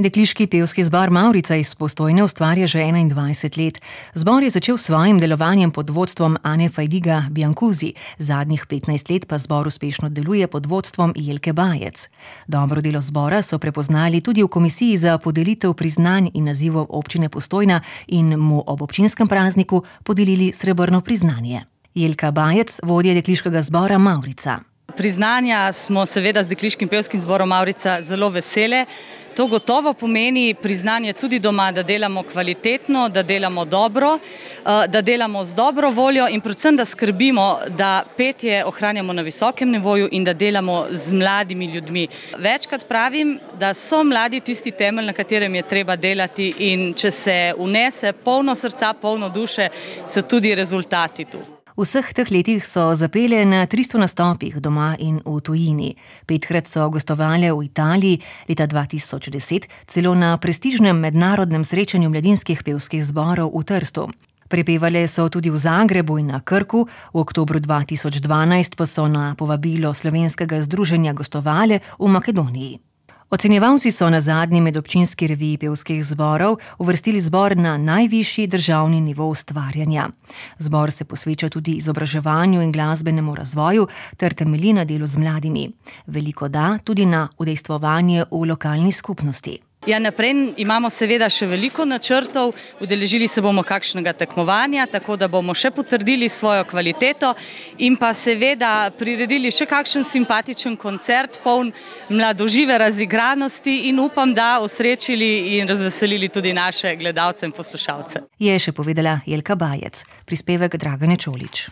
Dekliški pevski zbor Mavrica iz Postojne ustvarja že 21 let. Zbor je začel s svojim delovanjem pod vodstvom Ane Fajdiga Biancuzi, zadnjih 15 let pa zbor uspešno deluje pod vodstvom Jelke Bajec. Dobro delo zbora so prepoznali tudi v komisiji za podelitev priznanj in nazivov občine Postojna in mu ob občinskem prazniku podelili srebrno priznanje. Jelka Bajec, vodja dekliškega zbora Mavrica. Priznanja smo seveda z dekliškim pevskim zborom Mavrica zelo vesele. To gotovo pomeni priznanje tudi doma, da delamo kvalitetno, da delamo dobro, da delamo z dobro voljo in predvsem, da skrbimo, da petje ohranjamo na visokem nivoju in da delamo z mladimi ljudmi. Večkrat pravim, da so mladi tisti temelj, na katerem je treba delati, in če se vnese polno srca, polno duše, so tudi rezultati tu. V vseh teh letih so zapele na 300 nastopih doma in v tujini. 5krat so gostovale v Italiji, leta 2010 celo na prestižnem mednarodnem srečanju mladinskih pevskih zborov v Trstu. Prepevale so tudi v Zagrebu in na Krku, v oktobru 2012 pa so na povabilo Slovenskega združenja gostovale v Makedoniji. Ocenjevalci so na zadnji medobčinski reviji pevskih zborov uvrstili zbor na najvišji državni nivo ustvarjanja. Zbor se posveča tudi izobraževanju in glasbenemu razvoju ter temelji na delu z mladimi. Veliko da tudi na udejstvovanje v lokalni skupnosti. Ja, naprej imamo seveda še veliko načrtov, udeležili se bomo kakšnega tekmovanja, tako da bomo še potrdili svojo kvaliteto in pa seveda priredili še kakšen simpatičen koncert, poln mladožive razigranosti in upam, da osrečili in razveselili tudi naše gledalce in poslušalce. Je še povedala Jelka Bajec, prispevek Dragane Čolić.